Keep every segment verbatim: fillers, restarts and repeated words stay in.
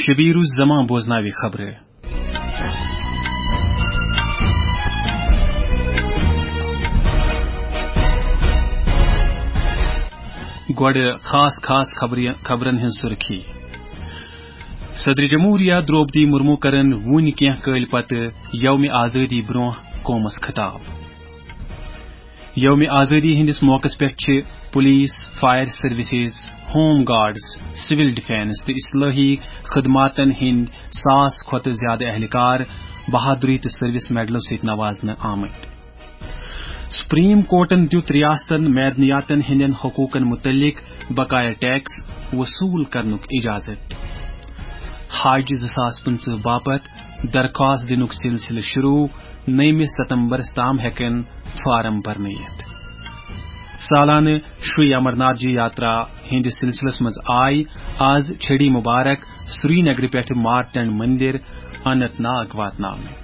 شبیر الزمان بوزناوِ خبرٕ۔ گۄڈٕ خاص خاص خبرِ-، خبرن ہٕنٛز سُرخی۔ صدر جمہوریہ درٛوپدی مرمو کرن وُنہِ کینٛہہ کٲلۍ پتہٕ یومِ آزٲدی برٛونٛہہ قومس خطاب۔ یومِ آزٲدی ہٕنٛدِس موقعس پٮ۪ٹھ چھِ police, fire services, home guards, civil defence تہٕ اصلاحی خدماتن ہٕنٛدۍ ساس کھۄتہٕ زیادٕ اہلکار بہادری تہٕ سروس میڈلو سۭتۍ نوازنہٕ آمٕتۍ۔ سپریم کورٹن دیُت ریاستن معدنیاتن ہٕنٛدٮ۪ن حقوقن متعلق بقایا ٹیکس وصول کرنُک اجازت۔ حج زٕ ساس پٕنٛژٕہ باپتھ درخواست دِنُک سلسلہٕ شروع، نٔیمہِ ستمبرس تام ہٮ۪کن فارم بھرنہٕ یِتھ۔ سالانہٕ شری امرناتھ جی یاترا ہٕنٛدِس سلسلس منٛز آیہِ آز چھڑی مبارک سرینگرٕ پٮ۪ٹھٕ مارٹنڈ مندر اننت ناگ واتناونہٕ۔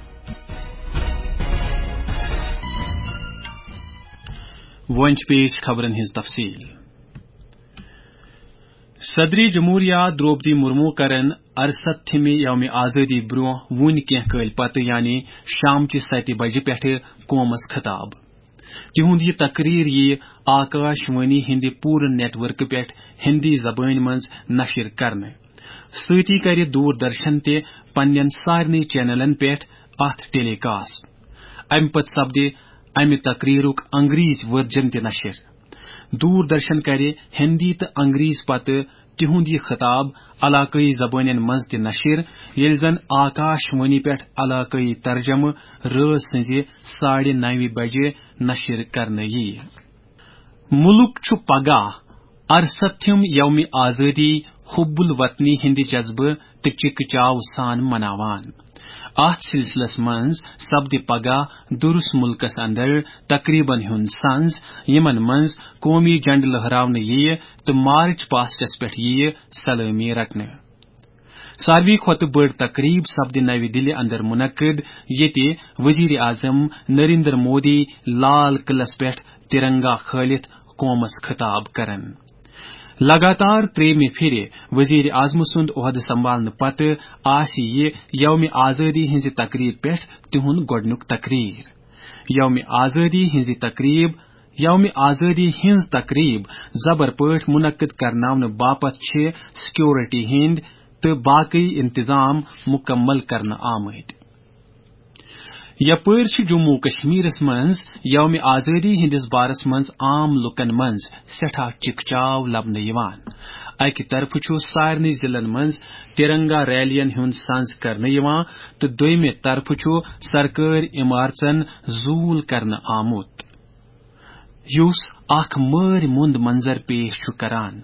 وۄنۍ چھِ پیش خبرن ہٕنٛز تفصیل۔ صدر جمہوریہ درٛوپدی مرمو کرن ارستھمہِ یومِ آزٲدی برٛونٛہہ وُنہِ کینٛہہ کٲلۍ پتہٕ، یعنی شامچہِ ستہِ بجہِ پٮ۪ٹھٕ قومس خطاب۔ تِہُنٛد یہِ تقریر یِیہِ آکاش وانی ہٕنٛدِ پوٗرٕ نیٹ ورکہٕ پٮ۪ٹھ ہِندی زبٲنۍ منٛز نشر کرنہٕ۔ سۭتی کرِ دوردرشن تہِ پننٮ۪ن سارنٕے چینلن پٮ۪ٹھ اتھ ٹیلی کاسٹ۔ امہِ پتہٕ سپدِ امہِ تقریرُک انگریزۍ ورجن تہِ نشر۔ دوردرشن کرِ ہندی تہٕ انگریزۍ پتہٕ تِہُنٛد یہِ خطاب علاقٲیی زبٲنٮ۪ن منٛز تہِ نشر، ییٚلہِ زن آکاش وانی پٮ۪ٹھ علاقٲیی ترجمہٕ رٲژ سٕنٛزِ ساڑِ نَوِ بجہِ نشر کرنہٕ یِیہِ۔ مُلک چھُ پگاہ ارستھم یومِ آزٲدی، حب الوطنی ہٕنٛدِ جذبہٕ تہٕ چِکہٕ چاو سان مناوان۔ اتھ سلسلس منٛز سپدِ پگاہ دُرس مُلکس اندر تقریبن ہُنٛد سنز، یِمن منٛز قومی جنڈٕ لہراونہٕ یِیہِ تہٕ مارچ پاسٹس پٮ۪ٹھ یِیہِ سلٲمی رٹنہٕ۔ ساروی کھۄتہٕ بٔڑ تقریب سپدِ نَوِ دِلہِ اندر منعقد، ییٚتہِ وزیر اعظم نریندر مودی لال قلعس پٮ۪ٹھ ترنگا کھٲلِتھ قومس خطاب کرن۔ لگاتار ترٛیٚیِمہِ پھِرِ وزیر اعظم سُنٛد عہدٕ سنبھالنہٕ پتہٕ آسہِ یہِ یومِ آزٲدی ہٕنٛزِ تقریب پٮ۪ٹھ تِہُنٛد گۄڈٕنیُک تقریر۔ یومِ آزٲدی ہٕنٛزِ تقریب، یومِ آزٲدی ہٕنٛز تقریب زبر پٲٹھۍ منعقد کرناونہٕ باپتھ چھِ سیکورٹی ہٕنٛدۍ تہٕ باقٕے انتظام مکمل کرنہٕ آمٕتۍ۔ یپٲرۍ چھُ جموں و کشمیرس منٛز یومِ آزٲدی ہٕنٛدِس بارس منٛز عام لوٗکن منٛز سٮ۪ٹھاہ چِکہٕ چاو لبنہٕ یِوان۔ اکہِ طرفہٕ چھُ سارنٕے ضلعن منٛز ترنگا ریلین ہُنٛد سنز کرنہٕ یِوان تہٕ دوٚیمہِ طرفہٕ چھُ سرکٲرۍ عمارژن زوٗل کرنہٕ آمُت، یُس اکھ مٲرۍ مُند منظر پیش چھُ کران۔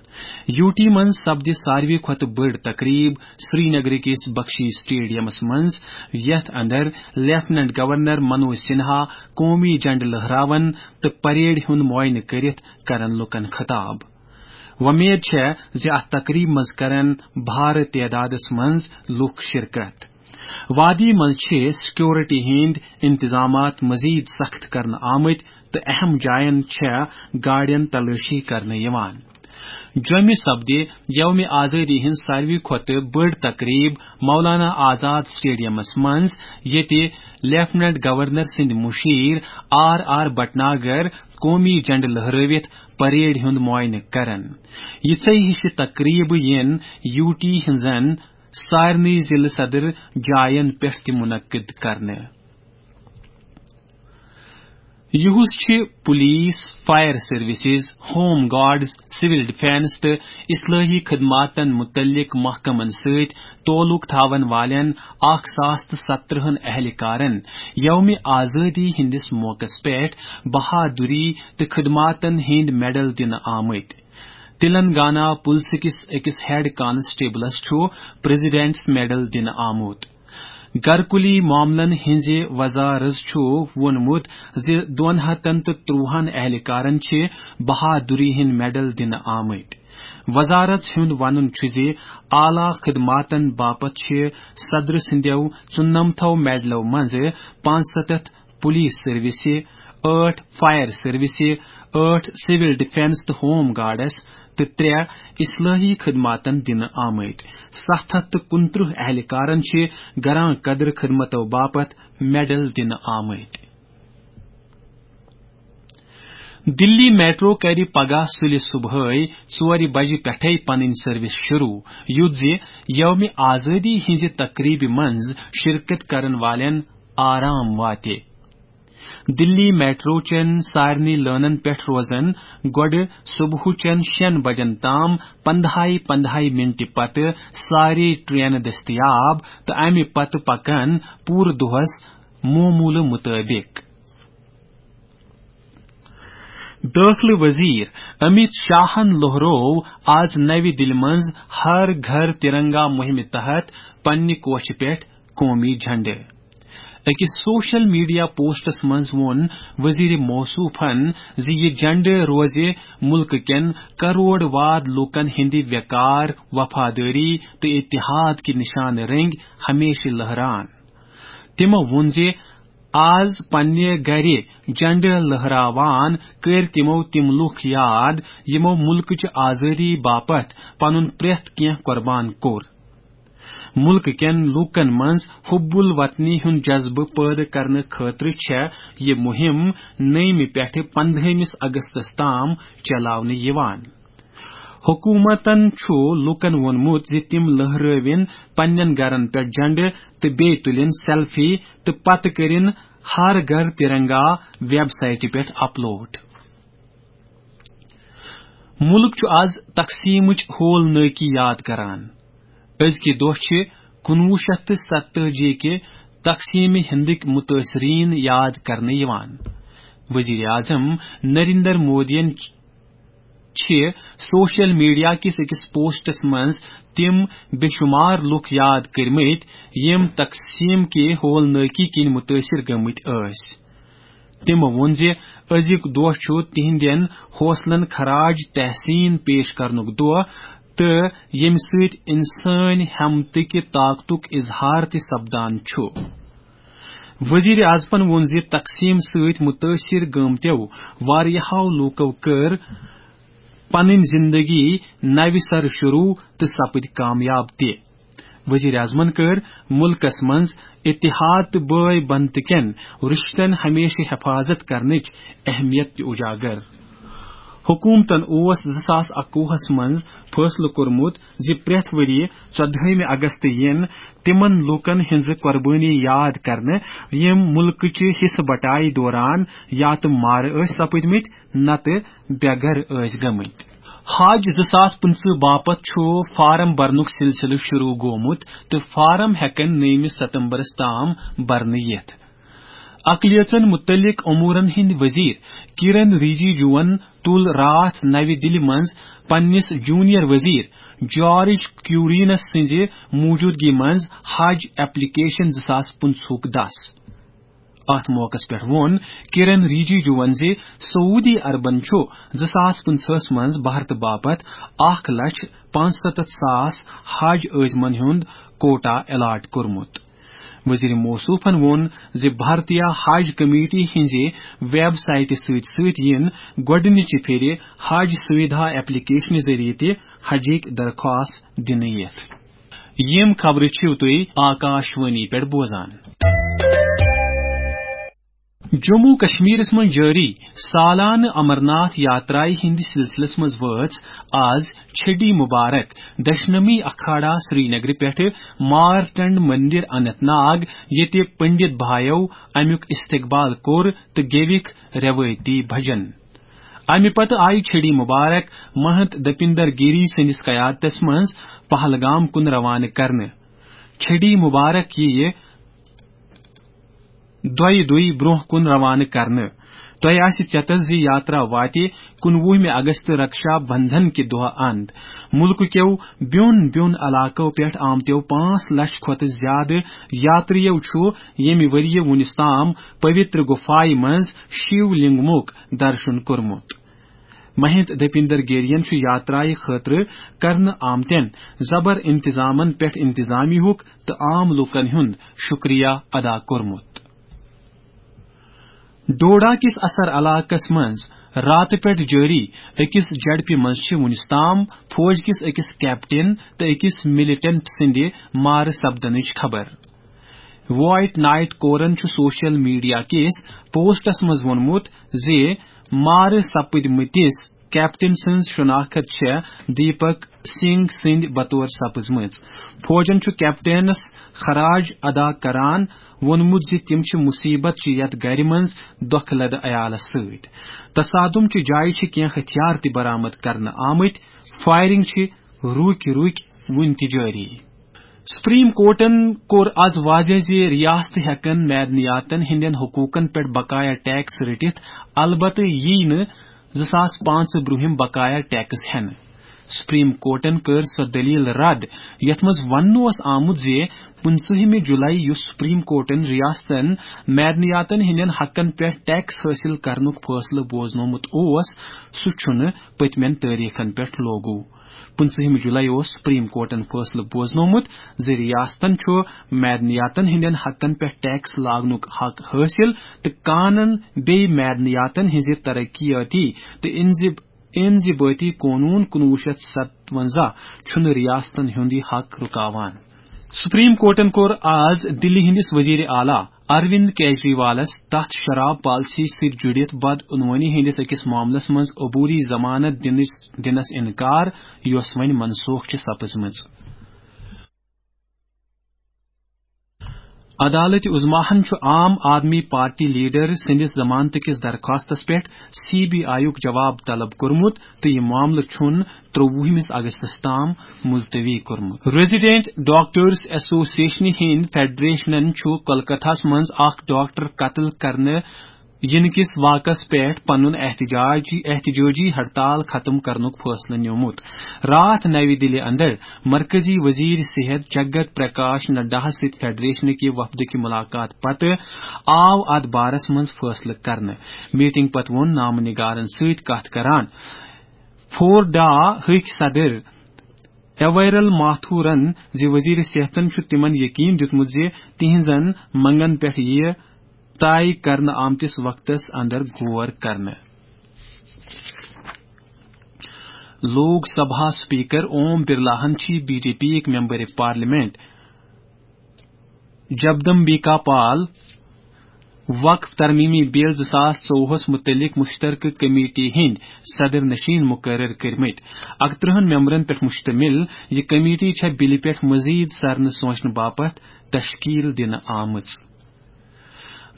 یوٗ ٹی منٛز سپدِ ساروی کھۄتہٕ بٔڑ تقریب سرینگرٕ کِس بخشی سٹیڈیمس منٛز، یتھ اندر لیفٹیننٹ گورنر منوج سنہا قومی جنڈٕ لہراون تہٕ پریڈ ہُنٛد معائنہٕ کٔرِتھ کرن لوٗکن خطاب۔ وۄمید چھےٚ زِ اتھ تقریبہِ منٛز کرن بھارٕ تعدادس منٛز لوٗکھ شرکت۔ وادی منٛز چھِ سیکورٹی ہٕنٛدۍ انتظامات مزید سخت کرنہٕ آمٕتۍ تہٕ اہم جاین چھےٚ گاڑٮ۪ن تلٲشی کرنہٕ یِوان۔ جوٚمہِ سپدِ یومِ آزٲدی ہٕنٛز ساروی کھۄتہٕ بٔڑ تقریب مولانا آزاد سٹیڈیمس منٛز، ییٚتہِ لیفٹیننٹ گورنر سٕنٛدۍ مُشیر آر آر بٹناگر قومی جنڈٕ لہرٲوِتھ پریڈ ہُنٛد معائنہٕ کرن۔ یِژھے ہِشہِ تقریبہٕ یِن یوٗ ٹی ہٕنٛزن سارنٕے ضلعہٕ صدر جاین پٮ۪ٹھ تہِ منعقد کرنہٕ۔ یُہُس چھِ police, fire services, home guards, civil defence تہٕ اصلاحی خدماتن متعلق محکمن سۭتۍ تعلق تھاون والٮ۪ن اکھ ساس تہٕ سترہن اہلکارن یومِ آزٲدی ہٕنٛدِس موقعس پٮ۪ٹھ بہادری تہٕ خدماتن ہٕنٛدۍ میڈل دِنہٕ آمٕتۍ۔ تلنگانہ پُلسہٕ کِس أکِس ہیڈ کانسٹیبلس چھُ پریزیڈنٹس میڈل دِنہٕ آمُت۔ گرکُلی معاملن ہٕنٛزِ وزارت چھُ ووٚنمُت زِ دۄن ہتن تہٕ ترٛوہن اہلکارن چھِ بہادری ہٕنٛدۍ میڈل دِنہٕ آمٕتۍ۔ وزارت ہُنٛد وَنُن چھُ زِ اعلیٰ خدماتن باپتھ چھِ صدر سٕنٛدٮ۪و ژُنمتھو میڈلو منٛزٕ پانٛژستتھ پولیس سروسہِ، ٲٹھ فائر سروسہِ، ٲٹھ سول ڈیفنس تہٕ ہوم گارڈس تہٕ ترٛےٚ اصلٲحی خدماتن دِنہٕ آمٕتۍ۔ ستھ ہتھ تہٕ کُنترٕہ اہلکارن چھِ گران قدر خدمتو باپتھ میڈل دِنہٕ آمٕتۍ۔ دِلی میٹرو کَرِ پگاہ سُلہِ صبحٲے ژورِ بجہِ پٮ۪ٹھَے پنٕنۍ سروس شروع، یُتھ زِ یومِ آزٲدی ہٕنٛزِ تقریبہِ منٛز شرکت کرن والٮ۪ن آرام واتہِ۔ دِلی میٹرو چٮ۪ن سارنٕے لٲنن پٮ۪ٹھ روزن گۄڈٕ صبحُچٮ۪ن شٮ۪ن بجن تام پندہاے پندہاے منٹہِ پتہٕ سارے ٹرینہٕ دٔستیاب تہٕ امہِ پتہٕ پکن پوٗرٕ دۄہس معموٗلہٕ مُطٲبِق۔ دٲخلہٕ وزیر امیت شاہن لوہروو آز نوِ دِلہِ منٛز ہر گھر ترنگا مُہِمہِ تحت پننہِ کوٹھِ پٮ۪ٹھ قومی جھنڈٕ۔ أکِس سوشل میڈیا پوسٹس منٛز ووٚن وزیر موصوفن زِ یہِ جھنڈٕ روزِ مُلکہٕ کٮ۪ن کرور واد لوٗکن ہٕنٛدِ وقار، وفادٲری تہٕ اتحاد کہِ نشانہٕ رٔنگۍ ہمیشہٕ لہران۔ تِمو ووٚن زِ آز پننہِ گرِ جھنڈٕ لہراوان کٔرۍ تِمو تِم لوٗکھ یاد، یِمو مُلکٕچ آزٲدی باپتھ پنُن پرٛٮ۪تھ کینٛہہ قربان کوٚر۔ مُلکہٕ کٮ۪ن لوٗکن منٛز حب الوطنی ہُنٛد جذبہٕ پٲدٕ کرنہٕ خٲطرٕ چھےٚ یہِ مُہِم نٔیمہِ پٮ۪ٹھٕ پندہٲیمِس اگستس تام چلاونہٕ یِوان۔ حکوٗمتن چھُ لوٗکن ووٚنمُت زِ تِم لہرٲوِن پننٮ۪ن گرن پٮ۪ٹھ جھنڈٕ تہٕ بیٚیہِ تُلِن سیلفی تہٕ پتہٕ کٔرِن ہر گھر ترنگا ویب سائٹہِ پٮ۪ٹھ اپلوڈ۔ مُلک چھُ آز تقسیٖمٕچ ہول نٲکی یاد کران۔ أزکہِ دۄہ چھِ کُنوُہ شیٚتھ تہٕ ستتٲجی کہِ تقسیٖمہِ ہندٕکۍ مُتٲثریٖن یاد کرنہٕ یِوان۔ وزیر اعظم نریندر مودیَن چھِ سوشل میڈیا کِس أکِس پوسٹس منٛز تِم بے شمار لوٗکھ یاد کٔرمٕتۍ، یِم تقسیٖم کہِ ہول نٲکی کِنۍ مُتٲثر گٔمٕتۍ ٲسۍ۔ تِمو ووٚن زِ أزیُک دۄہ چھُ تِہنٛدٮ۪ن حوصلن خراج تحسین پیش کرنُک دۄہ تہٕ ییٚمہِ سۭتۍ انسٲنۍ ہمتٕکہِ طاقتُک اظہار تہِ سپدان چھُ۔ وزیر اعظمن ووٚن زِ تقسیٖم سۭتۍ مُتٲثر گٲمتیو واریاہو لوٗکو کٔر پنٕنۍ زندگی نوِ سرٕ شروع تہٕ سپٕدۍ کامیاب تہِ۔ وزیر اعظمن کٔر مُلکس منٛز اتحاد تہٕ بٲے بنتہٕ کٮ۪ن رشتن ہمیشہٕ حفاظت کرنٕچ اہمیت تہِ اجاگر۔ حکومتن اوس زٕ ساس اکوُہس منٛز فٲصلہٕ کوٚرمُت زِ پرٛٮ۪تھ ؤرۍ یہِ ژۄدہٲیمہِ اگست یِن تِمن لوٗکن ہٕنٛزٕ قۄربٲنی یاد کرنہٕ، یِم مُلکٕچہِ حصہٕ بٹایہِ دوران یا تہٕ مارٕ ٲسۍ سپٕدمٕتۍ، نتہٕ بے گھر ٲسۍ گٔمٕتۍ۔ حج زٕ ساس پٕنٛژٕہ باپتھ چھُ فارم برنُک سلسلہٕ شروع گوٚمُت تہٕ فارم ہٮ۪کن نٔیمہِ ستمبرس تام برنہٕ یِتھ۔ اقلیژن متعلق امورن ہٕنٛدۍ وزیر کرن ریجیجوَن تُل راتھ نوِ دِلہِ منٛز پننِس جونیئر وزیر جارج کیورینس سٕنٛزِ موجودگی منٛز حج ایپلیکیشن زٕ ساس پٕنٛژٕہُک دَس۔ اتھ موقعس پٮ۪ٹھ ووٚن کرن ریجیجوَن زِ سعودی عربن چھُ زٕ ساس پٕنٛژٕہس منٛز بھارتہٕ باپتھ اکھ لچھ پانٛژستتھ ساس حج عٲزمن ہُنٛد کوٹا الاٹ کوٚرمُت۔ وزیر موصوفن ووٚن زِ بھارتیہ حج کمیٹی ہٕنٛزِ ویب سائٹہِ سۭتۍ سۭتۍ یِن گۄڈٕنِچہِ پھِرِ حج سویدھا ایپلیکیشنہِ ذٔریعہٕ تہِ حجٕکۍ درخواست دِنہٕ یِتھ۔ یِم خبرٕ چھِو تُہۍ آکاشوانی پٮ۪ٹھ بوزان۔ جموں کشمیرس منٛز جٲری سالانہٕ امرناتھ یاترایہِ ہٕنٛدِ سلسلس منٛز وٲژ آز چھڈی مبارک دشنمی اکھاڑا سرینگرٕ پٮ۪ٹھٕ مارٹنڈ مندر اننت ناگ، ییٚتہِ پنڈت بھایو امیُک استقبال کوٚر تہٕ گیوِکھ روایتی بھجن۔ امہِ پتہٕ آیہِ چھڈی مبارک مہنت دپیندر گیری سٕنٛدِس قیادتس منٛز پہلگام کُن روانہٕ کرنہٕ۔ چھڈی مبارک یِیہِ دۄیہِ دُے برونٛہہ کُن روانہٕ کرنہٕ۔ تۄہہِ آسہِ چیتس زِ یاترا واتہِ کُنوُہمہِ اگست رکشا بندھن کہِ دۄہ اند۔ مُلکہٕ کیو بیوٚن بیوٚن علاقو پٮ۪ٹھ آمتیو پانٛژھ لچھ کھۄتہٕ زیادٕ یاترِیو چھُ ییٚمہِ ؤرِیہِ وُنِس تام پویتر گُفایہِ منٛز شیو لنگمُک درشن کوٚرمُت۔ مہنت دپیندر گیرین چھُ یاترایہِ خٲطرٕ کرنہٕ آمتٮ۪ن زبر انتظامن پٮ۪ٹھ انتظامیہُک تہٕ عام لوٗکن ہُنٛد شُکریہ ادا کوٚرمُت۔ ڈوڈا کِس اثر علاقس منٛز راتہٕ پٮ۪ٹھ جٲری أکِس جھڑپہِ منٛز چھِ وُنِس تام فوج کِس أکِس کیپٹن تہٕ أکِس ملیٹنٹ سٕنٛدِ مارٕ سپدنٕچ خبر۔ وائٹ نائٹ کورن چھُ سوشل میڈیا کِس پوسٹس منٛز ووٚنمُت زِ مارٕ سپٕدمٕتِس کیپٹن سٕنٛز شناخت چھےٚ دیپک سنگھ سٕنٛدِ بطور سپٕزمٕژ۔ فوجن چھُ کیپٹنس خراج ادا کران ووٚنمُت زِ تِم چھِ مصیبت چہِ یتھ گرِ منٛز دۄکھٕ لدٕ عیالس سۭتۍ۔ تصادم چہِ جایہِ چھِ کینٛہہ ہتھیار تہِ برآمد کرنہٕ آمٕتۍ۔ فائرنگ چھِ روٗکۍ روٗکۍ وُنہِ تہِ جٲری۔ سپریم کورٹن کوٚر از واضح زِ ریاستہٕ ہٮ۪کن معدنیاتن ہٕنٛدٮ۪ن حقوقن پٮ۪ٹھ بقایا ٹیکس رٔٹِتھ، البتہٕ یی نہٕ زٕ ساس پانٛژھ برٛونٛہِم بقایا ٹیکس ہٮ۪نہٕ۔ سپریم کورٹن کٔر سۄ دٔلیٖل رد، یتھ منٛز وننہٕ اوس آمُت زِ پٕنٛژٕہمہِ جولائی یُس سپریم کورٹن ریاستن معدنیاتن ہٕنٛدٮ۪ن حقن پٮ۪ٹھ ٹیکس حٲصِل کرنُک فٲصلہٕ بوزنومُت اوس، سُہ چھُنہٕ پٔتمٮ۪ن تٲریخن پٮ۪ٹھ لوگو۔ پٕنٛژٕہمہِ جولائی اوس سپریم کورٹن فٲصلہٕ بوزنومُت زِ ریاستن چھُ معدنیاتن ہٕنٛدٮ۪ن حقن پٮ۪ٹھ ٹیکس لاگنُک حق حٲصِل تہٕ کانن بیٚیہِ معدنیاتن ہٕنٛزِ ترقیاتی تہٕ انضب-، انضبٲطی قونوٗن کُنوُہ شیٚتھ ستوَنزاہ چھُنہٕ ریاستن ہُنٛد یہِ حق رُکاوان۔ سپریم کورٹن کوٚر آز دِلہِ ہٕنٛدِس وزیر اعلیٰ اروند کیجریوالس تتھ شراب پالیسی سۭتۍ جُڑِتھ بدعنوانی ہٕنٛدِس أکِس معاملس منٛز عبوری ضمانت دِنٕچ، دِنس انکار، یۄس وۄنۍ منسوخ چھِ سپٕزمٕژ۔ عدالت عظمیٰ ہن چھُ عام آدمی پارٹی لیڈر سٕنٛدِس ضمانتہٕ کِس درخواستس پٮ۪ٹھ سی بی آئی یُک جواب طلب کوٚرمُت تہٕ یہِ معاملہٕ چھُن ترٛۆوُہمِس اگستس تام ملتوی کوٚرمُت۔ ریزیڈنٹ ڈاکٹرز ایسوسیشنہِ ہٕنٛدۍ فیڈریشنن چھُ کولکتہس منٛز اکھ ڈاکٹر قتل کرنہٕ یِنہٕ کِس واقعس پٮ۪ٹھ پنُن احتجاجی، احتجاجی ہڑتال ختم کرنُک فٲصلہٕ نیومُت۔ راتھ نَوِ دِلہِ اندر مرکزی وزیر صحت جگت پرکاش نڈاہس سۭتۍ فیڈریشن کہِ وفدٕکہِ ملاقات پتہٕ آو اتھ بارس منٛز فٲصلہٕ کرنہٕ۔ میٹنگ پتہٕ ووٚن نامہٕ نگارن سۭتۍ کتھ کران فورڈا ہٕکۍ صدر ایویرل ماتھورن زِ وزیر صحتن چھُ تِمن یقین دیُتمُت زِ تِہنٛزن منگن پٮ۪ٹھ یِیہِ طے کرنہٕ آمتِس وقتس اندر غور کرنہٕ۔ لوک سبھا سپیکر اوم برلاہن چھِ بی جے پی یِک ممبر پارلیمنٹ جگدمبیکا پال وقف ترمیمی بل زٕ ساس ژوٚوُہس متعلق مشترکہ کمیٹی ہٕنٛدۍ صدر نشین مقرر کٔرمٕتۍ۔ اکترٕہن ممبرن پٮ۪ٹھ مشتمل یہِ کمیٹی چھےٚ بلہِ پٮ۪ٹھ مزید سرنہٕ سونچنہٕ باپتھ تشکیل دِنہٕ آمٕژ۔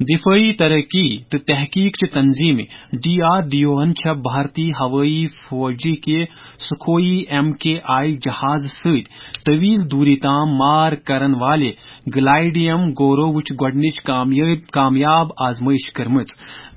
دفٲعی ترقی تہٕ تحقیق چہِ تنظیمہِ ڈی آر ڈی او ہن چھےٚ بھارتی ہوٲیی فوجی کہِ سکھوئی ایم کے آئی جہاز سۭتۍ طویل دوری تام مار کرن والہِ گلائیڈیم گورووٕچ گۄڈٕنِچ کامیٲب-، کامیاب آزمٲیش کٔرمٕژ۔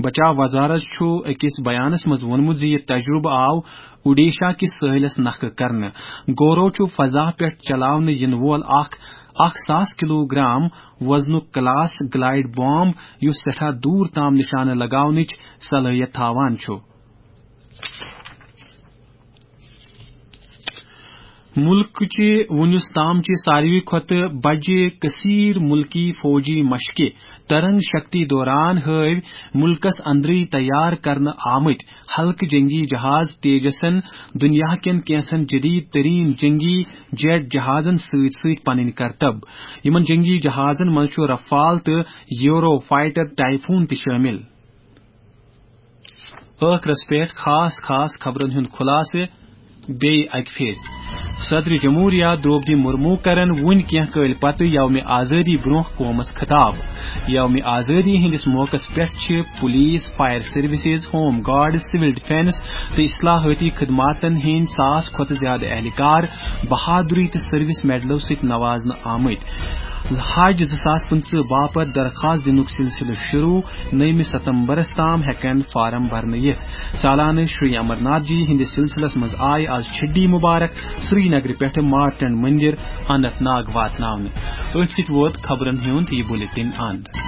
بچاو وزارت چھُ أکِس بیانس منٛز ووٚنمُت زِ یہِ تجرُبہٕ آو اوڈیشا کِس سٲحلس نکھٕ کرنہٕ۔ گورو چھُ فضا پٮ۪ٹھ چلاونہٕ یِنہٕ وول اکھ اکھ ساس کلوگرام وزنُک کلاس گلائیڈ بام، یُس سٮ۪ٹھاہ دوٗر تام نشانہٕ لگاونٕچ صلٲحیت تھاوان چھُ۔ مُلکٕچہِ وُنیُس تام چہِ ساروی کھۄتہٕ بجہِ کثیر مُلکی فوجی مشقہِ ترنگ شکتی دوران ہٲوۍ مُلکس اندرٕے تیار کرنہٕ آمٕتۍ ہلکہٕ جنگی جہاز تیجسن دُنیا کٮ۪ن کینٛژن جدید ترین جنگی جیٹ جہازن سۭتۍ سۭتۍ پنٕنۍ کرتب۔ یِمن جنگی جہازن منٛز چھُ رفال تہٕ یورو فائٹر ٹائفون تہِ شٲمِل۔ ٲخرس پٮ۪ٹھ خاص خاص خبرن ہُنٛد خلاصہٕ بیٚیہِ اکہِ پھِرِ۔ صدر جمہوریہ درٛوپدی مرمو کرن وُنہِ کینٛہہ کٲلۍ پتہٕ یومِ آزٲدی برٛونٛہہ قومس خطاب۔ یومِ آزٲدی ہٕنٛدِس موقعس پٮ۪ٹھ چھِ police, fire services, home guard, civil defence تہٕ اصلاحٲتی خدماتن ہٕنٛدۍ ساس کھۄتہٕ زیادٕ اہلکار بہادری تہٕ سروس میڈلو سۭتۍ نوازنہٕ آمٕتۍ۔ حج زٕ ساس پٕنٛژٕہ باپتھ درخواست دِنُک سلسلہٕ شروع، نٔیمہِ ستمبرس تام ہٮ۪کن فارم بھرنہٕ یِتھ۔ سالانہٕ شری امرناتھ جی ہٕنٛدِس سلسلس منٛز آیہِ آز چھڈی مبارک سرینگرٕ پٮ۪ٹھٕ مارٹنڈ مندر اننت ناگ واتناونہٕ۔ أتھۍ سۭتۍ ووت خبرن ہُنٛد یہِ بلیٹن اند۔